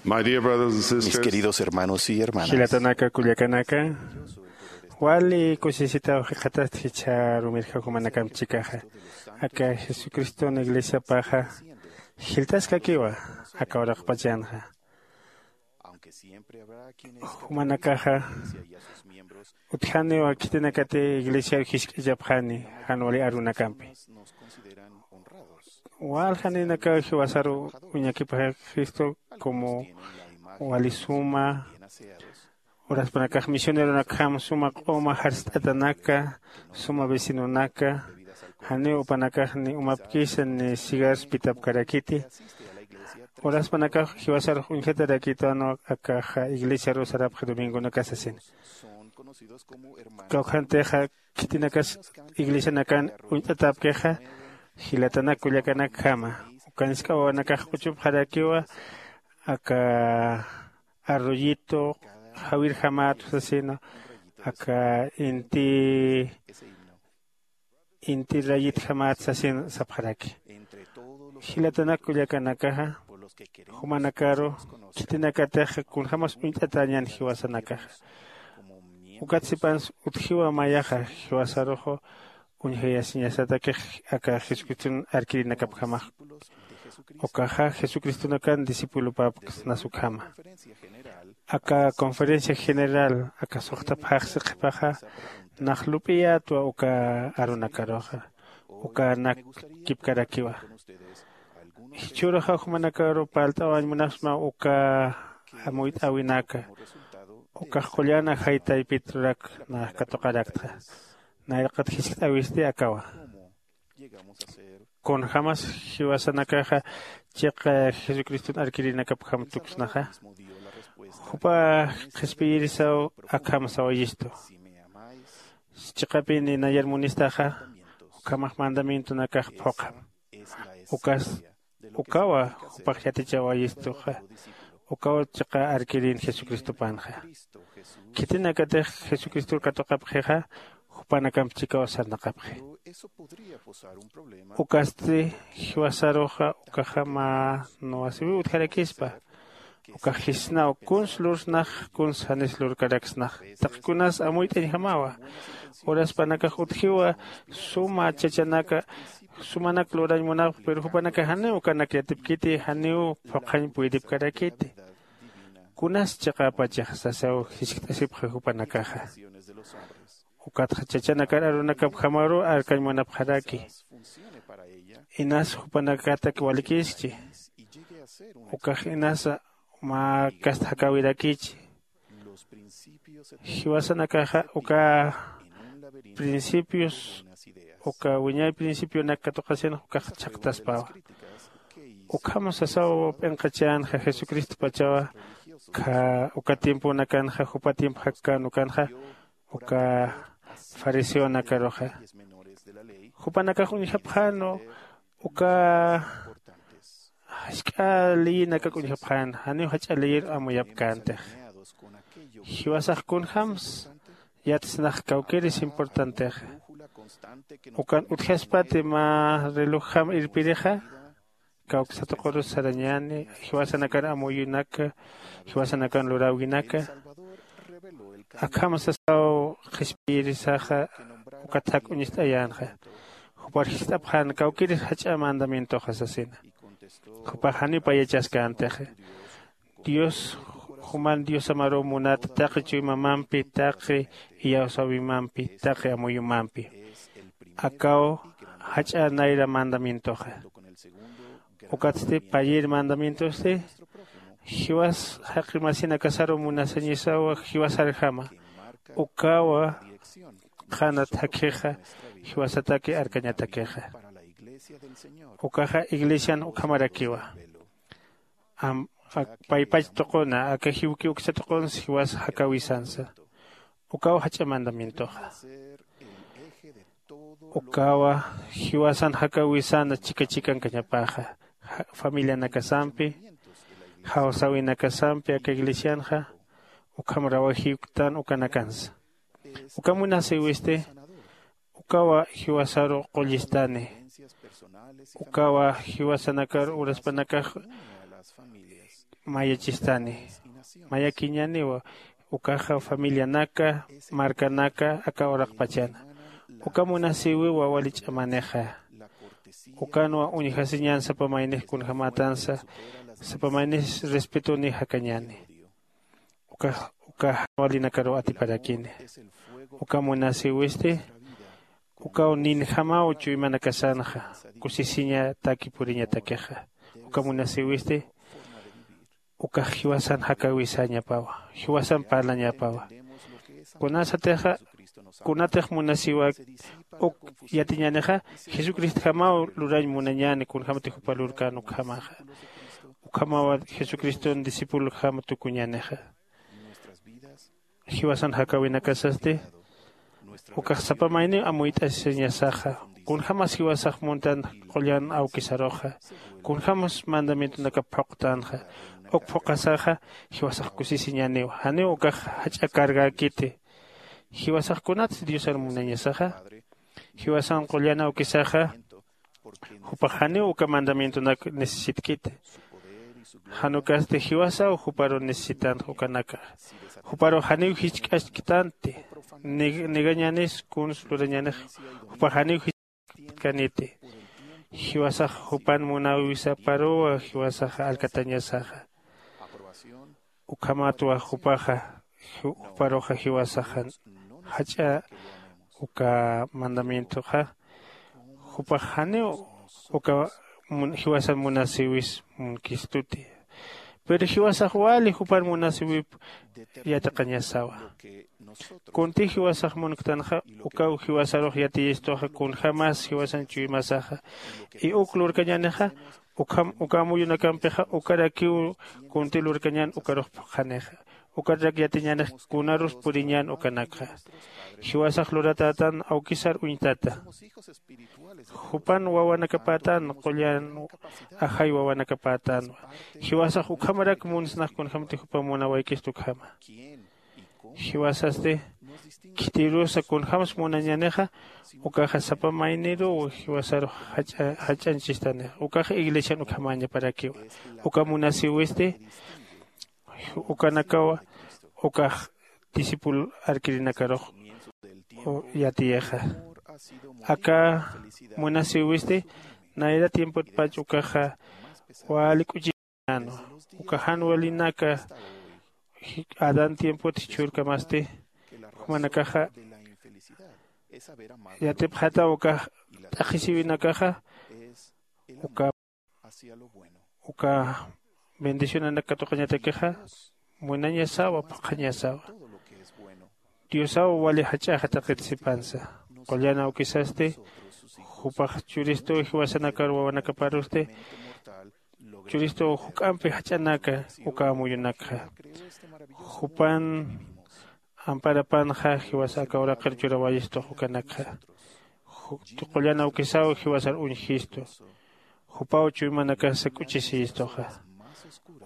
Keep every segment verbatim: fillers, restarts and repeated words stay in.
My dear brothers and sisters, mis queridos hermanos y hermanas, jilatanaka kullakanaka, wali kusisitaw jikxatasti jichha rumirja jumanakamp chikaxa. Aka Jesucriston iglesiapaxa jiltaskakiwa aka uraqpachanxa. Jumanakaxa utjaniwa khitinakati iglesiar jisk'achapxani jan wali arunakampi. Waljaninakaw jiwasaru uñakipxaxistu como wali suma uraspanakax misioneronakjam suma q'uma jarst'atanaka, suma vecinonaka, janiw upanakax ni umapkisa ni cigarros pitapkarakiti. Uraspanakax jiwasarux uñjatarakitwan akaxa iglesiaru sarapxi domingonaka sasina. Kawkhantixa khitinakas iglesianakan uñt'atapkixa jilatanak kullakanakjama. Uka nisk'awawanakax q'uchupxarakiwa aka arroyito jawirjamat sasina, aka inti inti rayitjamat sasin sapxaraki. Jilatanak kullakanakaxa jumanakaru khitinakatix kunjämas uñt'atäñän jiwasanakaxa. Ukat sipansa utjiwa mayaxa jiwasaruxa uñjayasiñasatakix aka jesucriston arkirinakapjamax. Ukaxa jesucristonakan discipulopäpksnas ukhama. Aka conferencia general aka suxta phaxsi qhipaxa nax lup'iyätwa uka arunakaruxa uka nakkipkarakiwa. Jichhüruxa jumanakaru parlt'awañ munapsma uka amuyt'äwinaka ukax qullan ajay taypit lurak nax katuqaraktxa. Nayraqat jiskt'äwisti akawa. Kunjämas jiwasanakaxa chiqa jesucriston arkirinakapjam tuksnaxa. Jupa qhispiyirisaw akham sawayistu. Chiqapini nayar munistaxa ukhamax mandamientonakax phuqham. Ukas ukawa jupax yatichawayistuxa. Ukaw chiqa arkirin jesucristopanxa. Khitinakatix jesucristor katuqapxixa jupanakamp chikaw sarnaqapxi. Ukasti jiwasaruxa ukaxa mä nuwasiwiw utjarakispa. Ukax jisnaw kuns lursnax kuns janis lurkaraksnax. Taqi kunas amuyt'añjamawa. Uraspanakax utjiwa suma chachanaka sumanak lurañ munapx pero jupanakax janiw ukanak yatipkiti janiw phuqhañ puydipkarakiti. Kunas chiqapachax sasaw jiskt'asipxi jupanakaxa. Ukatxa chachanakar arunakapjamaruw arkañ munapxaraki. Inas jupanakatak walikiskchi. Ukax inasa mä kasta jakäwirakichi. Jiwasanakaxa uka principios uka wiñay principionak katuqasinxa ukax chhaqtaspawa. Ukham sasaw p'inqachänxa jesucristopachawa. Uka tiemponakanxa jupa tiempo jakkän ukanxa uka fariseonakaruxa jupanakax uñjapxänu uka jask'a leyinakak uñjapxän janiw jach'a leyir amuyapkäntix. Jiwasax kunjämsa yatsnax kawkïris importantexa. Ukan utjaspati mä relojjam irpirixa kawksatuqurus sarañäni jiwasanakar amuyunaka jiwasanakan luräwinaka. Akham sasaw qhispiyirisaxa ukat jak uñist'ayänxa. Jupar jist'apxän kawkïris jach'a mandamientoxa sasina. Jupax janiw payachaskäntixi. Dios juman diosamaruw munat taqi chuymamampi taqi iyawsäwimampi taqi amuyumampi. Akaw jach'a nayra mandamientoxa. Ukatsti payïr mandamientosti jiwas jaqi masinakasaruw munasañisaw jiwasarjama. Ukawa qhanat jakjixa jiwasataki arkañatakixa. Ukaxa iglesian ukhamarakiwa. Paypach tuquna aka jiwki uksa tuqunsa jiwas jakäwisansa. Ukaw jach'a mandamientoxa. Ukawa jiwasan jakäwisana chika chikankañapaxa familianakasampi jawsäwinakasampi aka iglesianxa. Ukham rawajïktan ukanakansa. Uka munasïwisti ukawa jiwasaru qullistani. Ukawa jiwasanakar uraspanakax mayachistani. Mayakiñaniwa ukaxa familianaka, markanaka aka uraqpachana. Uka munasiwiwa wali ch'amanixa. Ukanwa uñjasiñan sapa maynix kunjämatansa, sapa maynix respetuni jakañani. Uka uka jan walinakaruw atiparakini. Uka munasiwisti ukaw ninjamaw chuymanakasanxa, kusisiñataki puriñatakixa. Uka munasiwisti ukax jiwasan jakäwisañapawa, jiwasan parlañapawa. Kunasatixa kunatix munasiwak uk yatiñänixa, jesucristjamaw lurañ munañäni kunjämati jupa lurkän ukjamaxa. Ukhamaw jesucriston discipulojam tukuñänixa. Jiwasan jakäwinakasasti ukax sapa mayniw amuyt'asiñasaxa. Kunjämas jiwasax muntan qullan awkisaruxa, kunjämas mandamientonakap phuqtanxa, uk phuqasaxa jiwasax kusisiñäniwa. Janiw ukax jach'a cargäkiti. Jiwasax kunatsa diosar munañasaxa. Jiwasan qullan awkisaxa jupax janiw uka mandamientonak necesitkiti. Jan ukasti jiwasaw juparu necesitanxa ukanaka. Juparu janiw jichk'asktanti. Negañanis kuns lurañanix jupax janiw jichk'asktaniti. Jiwasax jupan munäwisaparuwa jiwasaxa alkatañasaxa. Ukhamatwa jupaxa juparuxa jiwasaxan jach'a uka mandamientoxa jupax janiw uka jiwasan munasiwis munkistuti. Pero jiwasax wali jupan munasiwip yatiqañasawa. Kunti jiwasax munktanxa ukaw jiwasarux yatiyistuxa kunjämas jiwasan chuymasaxa. Y uk lurkañänixa ukham uka amuyunakampixa ukarakiw kunti lurkañän ukarux phuqhanixa. Ukarak yatiñänix kunarus puriñän ukanakxa. Jiwasax luratätan awkisar uñtata. Jupan wawanakapätan qullan ajay wawanakapätanwa. Jiwasax ukhamarak munsnax kunjämti jupa munawaykistu ukhama. Jiwasasti khitirusa kunjämsa munañänixa ukaxa sapa mayniruw jiwasarux jach'anchistanixa ukaxa iglesian ukhamañaparakiwa. Uka munasiwisti ukanakaw ukax discípulo arkirinakarux yatiyixa. Aka munasiwisti nayra tiempotpach ukaxa wali k'uchi uka jan walinaka adán tiempot jichhürkamasti jumanakaxa yatipxataw uka t'aqhisiwinakaxa uka uka bendicionanak katuqañatakixa munañasawa phuqhañasawa. Diosaw wali jach'axa taqit sipansa. Qullan awkisasti jupax churistuw jiwasanakar wawanakaparusti churistuw juk'ampi jach'anaka uka amuyunakxa. Jupan amparapanxa jiwasa aka uraqir churawayistux ukanakxa. Qullan awkisaw jiwasar uñjistu. Jupaw chuymanakasa k'uchisiyistuxa.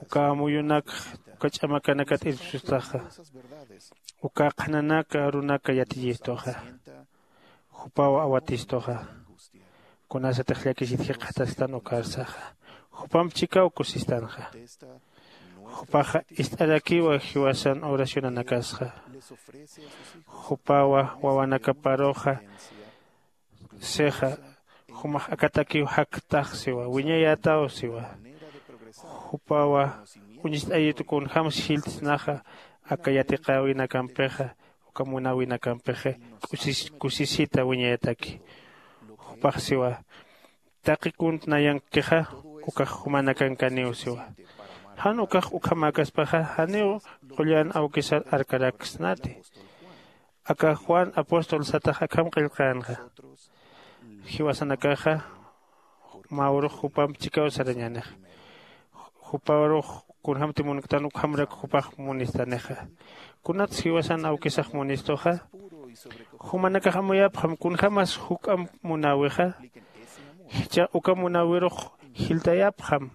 Uka amuyunakx uka ch'amakanakat irpsustaxa. Uka qhananak arunaka yatiyistuxa. Jupaw awatistuxa. Kunasatix llakisit jikxatastan ukarsaxa. Jupamp chikaw kusistanxa. Jupaxa ist'arakiwa jiwasan oracionanakasxa. Jupawa wawanakaparuxa sixa jumax akatakiw jaktax siwa wiñayätaw siwa. Jupawa uñst'ayitu kunjämsa jiltsnaxa aka yatiqäwinakampixa uka munäwinakampixa kusisita wiñayataki. Jupax siwa taqi kunt nayankixa ukax jumanakankaniw siwa. Jan ukax ukhamäkaspaxa janiw qullan awkisar arkaraksnati. Aka juan apóstol satax akham qillqänxa. Jiwasanakaxa mä urux jupamp chikaw sarañänixa. Jupa urux kunjämti munktan ukhamrak jupax munistanixa. Kunatsa jiwasan awkisax munistuxa jumanakax amuyapxam kunjämas juk'amp munäwixa. Jichhax uka munäwirux jiltayapxam.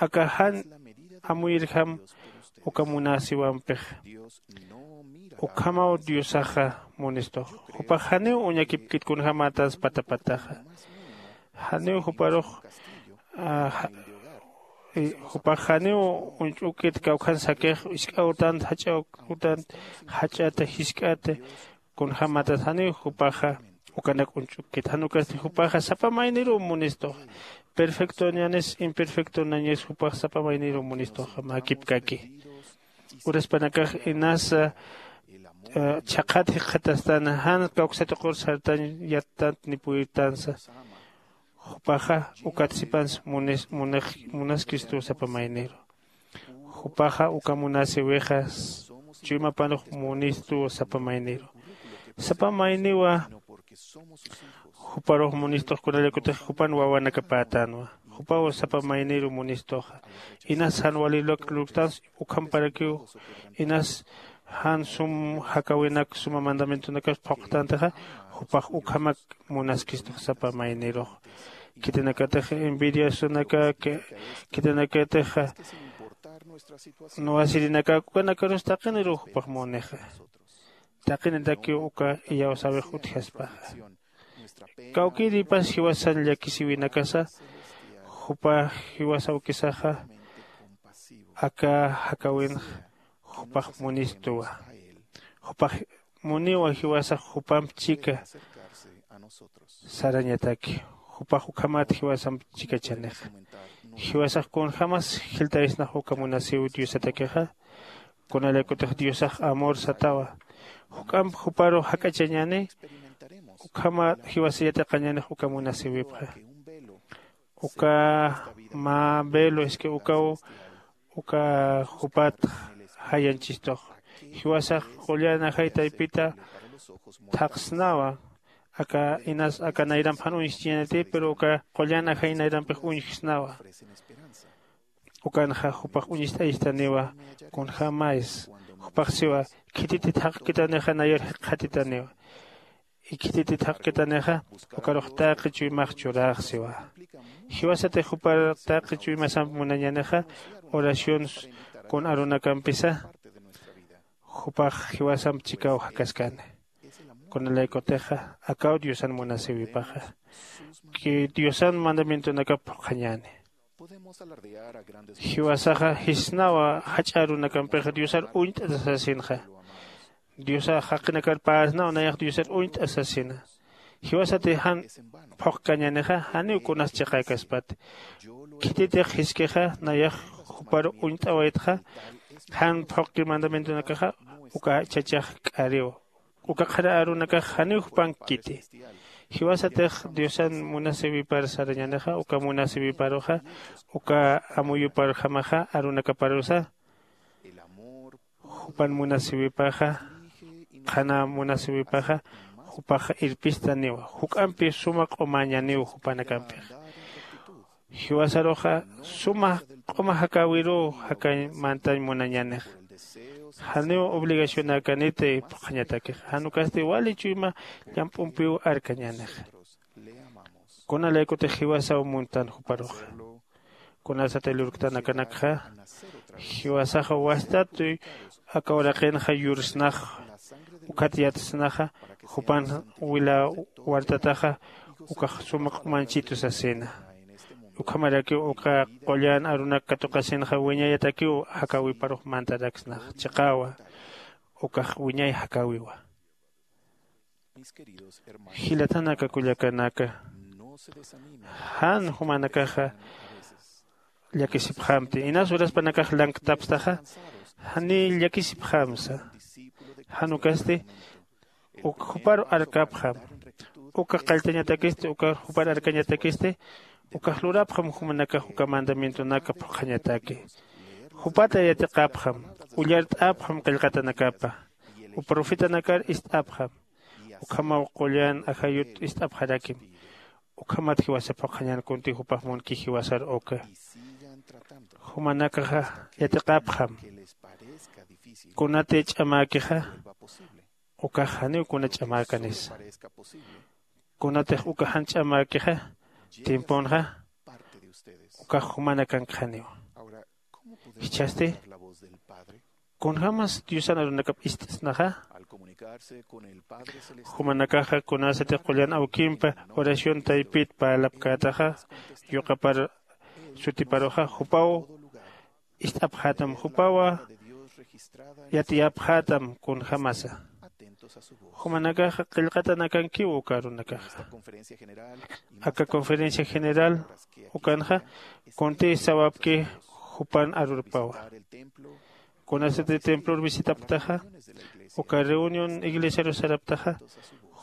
Aka jan amuyirjam uka munasiwampix. Ukhamaw diosaxa munistux. Jupax janiw uñakipkit kunjämätans patapataxa. Janiw juparux Jupax janiw uñch'ukit kawkhan sakix isk'awtant jach'awtant jach'ata jisk'ata. Kunjämatas janiw jupaxa ukanak uñch'ukit jan ukasti jupaxa sapa mayniruw munistuxa. Perfectoñanis imperfectonañis jupax sapa mayniruw munistuxa mäkipkaki. Uraspanakax inasa chhaqhat jikxatastan jan kawksatuqur sartañ yattant nipuytansa. Jupaxa ukat sipansa munaskistuw sapa mayniru. Jupaxa uka munasiwixa chuymapanux munistuw sapa mayniru. Sapa mayniwa juparux munistux kunalaykutix jupan wawanakapätanwa. Jupaw sapa mayniru munistuxa. Inas jan wali lurktans ukhamparakiw inas jan sum jakäwinak suma mandamientonakas phuqtantixa jupax ukhamak munaskistux sapa maynirux. Khitinakatix envidiasunaka khitinakatix nuwasirinaka ukanakarus taqiniruw jupax munixa. Taqinitakiw uka iyawsäwix utjaspaxa. Kawkïripas jiwasan llakisiwinakasa jupa jiwasawkisaxa aka jakäwinxa jupax munistuwa. Jupax muniwa jiwasax jupamp chika sarañataki. Jupax ukhamat jiwasamp chikachanixa. Jiwasax kunjämas jiltaysnax uka munasiw diosatakixa. Kunalaykutix diosax amor satawa. Juk'amp juparu jak'achañäni ukhama jiwasa yatiqañänix uka munasiwipxa. Uka mä velo es que ukaw uka jupat jayanchistux. Jiwasax qullan ajay taypita thaqsnawa. Aka inas aka nayramp jan uñjchiñäniti pero uka qullan ajay nayrampix uñjsnawa. Ukanxa jupax uñist'ayistaniwa. Kunjämaysa jupax siwa khititi thaqkitanixa nayar jikxatitaniwa. Ikhititi thaqkitanixa ukarux taqi chuymax churaxsiwa. Jiwasatix jupar taqi chuymasamp munañänixa oración kun arunakampisa jupax jiwasamp chikaw jakaskani. Kunalaykutixa akaw diosan munasiwipaxa diosan mandamientonakap phuqhañäni. Jiwasaxa jisnawa jach'a arunakampix diosar uñt'ata sasinxa. Diosax jaqinakar päsnaw nayax diosar uñt'a sasina. Jiwasati jan phuqkañänixa janiw kunas chiqäkaspati. Khititix jiskixa nayax jupar uñt'awaytxa jan phuqki mandamientonakaxa uka chachax k'ariw. Uka qhara arunakax janiw jupankkiti. Jiwasatix diosan munasiwipar sarañänixa uka munasiwiparuxa uka amuyuparjamaxa arunakaparusa jupan munasiwipaxa qhana munasiwipaxa jupaxa irpistaniwa juk'ampi suma q'umañaniw jupanakampix. Jiwasaruxa suma q'uma jakäwiruw jakañ mantañ munañänixa. Janiw obligacionäkaniti phuqhañatakixa jan ukasti wali chuyma llamp'umpiw arkañänixa. Kunalaykutix jiwasaw muntan juparuxa kunasatay lurktanakanakxa jiwasaxa wastatuy aka uraqinxa yursnax ukhat yatsnaxa jupan wila wartataxa ukax suma q'umanchitu sasina. Ukhamarakiw uka qullan arunak katuqasinxa wiñayatakiw jakäwiparux mantaraksnax chiqawa ukax wiñay jakäwiwa. Jilatanaka kullakanaka, jan jumanakaxa llakisipxamti inas uraspanakax lanktapstaxa janiy llakisipxamsa. Jan ukasti uk juparu arkapxam uka qalltañatakisti uka jupar arkañatakisti ukax lurapxam jumanakax uka mandamientonaka phuqhañataki. Jupata yatiqapxam, ullart'apxam qillqatanakapa, uka profetanakar ist'apxam. Ukhamaw qullan ajayut ist'apxarakim. Ukhamat jiwasa phuqhañan kunti jupax munki jiwasar uka jumanakaxa yatiqapxam. Kunati ch'amäkixa ukax janiw kuna ch'amäkanisa. Kunatix uka jan ch'amäkixa timpunxa ukax jumanakankxaniw. Jichhasti kunjämas diosan arunakap ist'snaxa jumanakaxa kunasatix qullan awkimpa oración taypit parlapkätaxa yuqapar sutiparuxa jupaw ist'apxätam, jupawa yatiyapxätam kunjämasa. Jumanakaxa qillqatanakankiw uka arunakaxa. Aka conferencia general ukanxa kuntï sawapki jupan arurupawa. Kunasati templor visitapktaxa, uka reunión iglesiaru sarapktaxa,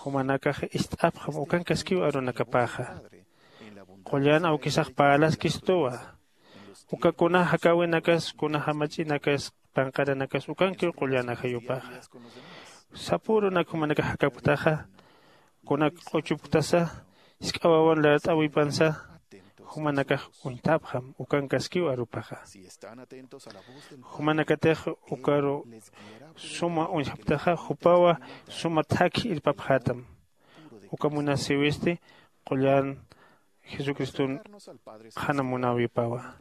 jumanakax ist'apxam ukankaskiw arunakapaxa. Qullan awkisax parlaskistuwa. Uka kuna jakäwinakas, kuna jamach'inakas, panqaranakas ukankiw qullan ajayupaxa. Sapürunak jumanakax jakapktaxa, kunak q'uchupktasa, jisk'a wawan lart'äwipansa, jumanakax uñtapxam ukankaskiw arupaxa. Jumanakatix ukaru suma uñjapktaxa, jupawa suma thakhi irpapxätam. Uka munasïwisti qullan jesucriston qhana munäwipawa.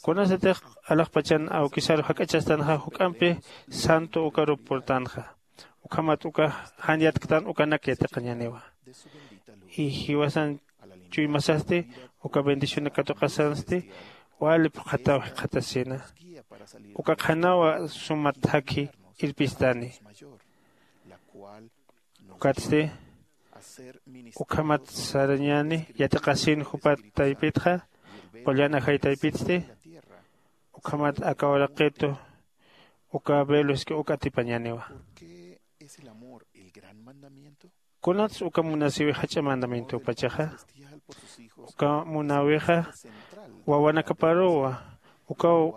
Kunasatix alaxpachan awkisaru jak'achastanxa juk'ampi santo ukarup purtanxa, ukhamat uka jan yatktan ukanak yatiqañäniwa. Y jiwasan chuymasasti uka bendicionak katuqasansti wali phuqhataw jikxatasina. Uka qhanawa suma thakhi irpistani. Ukatsti ukhamat sarañäni yatiqasin jupat taypitxa, qullan ajay taypitsti ukhamat aka uraqitu uka veloski uk atipañäniwa. Kunats uka munasïwi jach'a mandamientopachaxa? Uka munäwixa wawanakaparuwa. Ukaw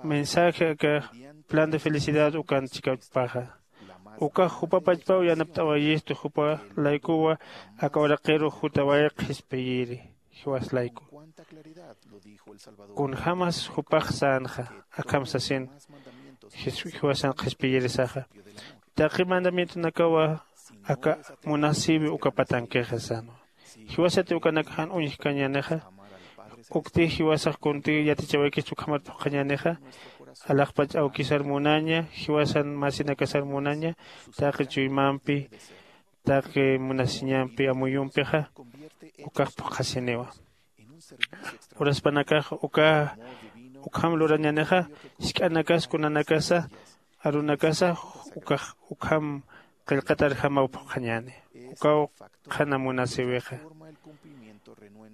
mensaje aka plan de felicidad ukan chikapaxa. Ukax jupa pachpaw yanapt'awayistu, jupa laykuwa aka uraqiru jutaway qhispiyiri jiwas layku. Kunjämas jupax sänxa akham sasin jiwasan qhispiyirisaxa. Taqi mandamientonakawa aka munasïwi uka patankixa sänwa. Jiwasati ukanak jan uñjkañänixa, ukti jiwasax kuntï yatichawaykista ukhamat phuqhañänixa. Alaxpach awkisar munaña, jiwasan masinakasar munaña, taqi chuymampi, taqi munasiñampi amuyumpixa ukax phuqhasiniwa. Uraspanakax uka ukham lurañänixa, jisk'anakas kunanakasa arunakasa ukax ukham qillqatarjamaw phuqhañäni. Ukaw qhana munasïwixa.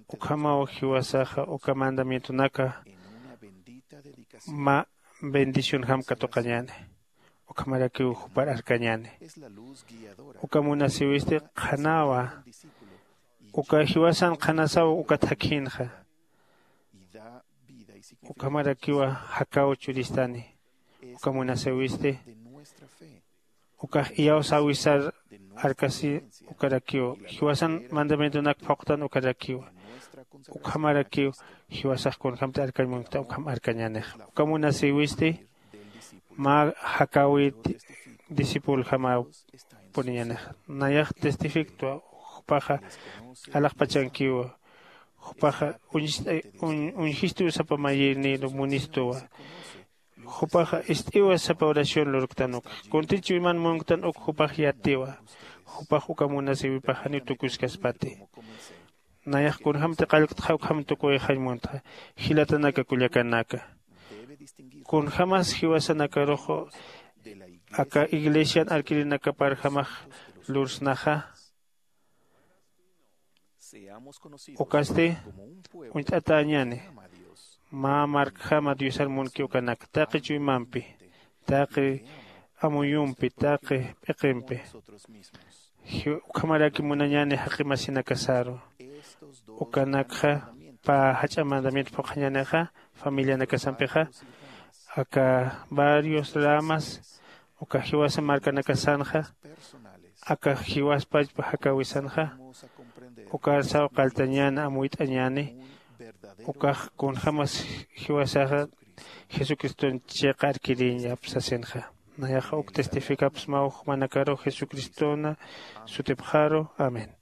Ukhamaw jiwasaxa uka mandamientonaka mä bendicionjam katuqañäni. Ukhamarakiw jupar arkañäni. Uka munasïwisti qhanawa. Uka jiwasan qhanasaw uka thakhïnxa. Ukhamarakiwa jakaw churistani. Uka munasïwisti ukax iyawsäwisar arkasi ukarakiw. Jiwasan mandamientonak phuqtan ukarakiwa. Ukhamarakiw jiwasax kunjämti arkañ munkta ukham arkañänixa. Uka munasïwisti mä jakäwit discipuljamaw puriñänixa. Nayax testifiktwa, jupaxa alaxpachankiwa. Jupaxa uñjistuw sapa mayïrnïru munistuwa. Jupaxa ist'iwa sapa oración lurktan uk. Kuntï chuyman munktan uk jupax yatiwa. Jupax uka munasïwipax janiw tukuskaspati. Nayax kunjämti qallqtxa ukham tukuyxañ muntxa. Jilatanaka kullakanaka, kunjämas jiwasanakarux aka iglesian arkirinakaparjamax lursnaxa. Ukasti uñt'atäñäni mä markjama diosar munki ukanak taqi chuymampi, taqi amuyumpi, taqi p'iqimpi. Ukhamaraki munañäni jaqi masinakasaru. Ukanakxa pä jach'a mandamiento phuqhañänixa familianakasampixa, aka varios ramas uka jiwasa markanakasanxa, aka jiwaspachpa jakäwisanxa, ukar saw qalltañäni amuyt'añäni. Ukax kunjämas jiwasaxa jesucriston chiqa arkiriñap sasinxa. Nayaxa uk testificapsmaw jumanakaru jesucristona sutipxaru. Amén.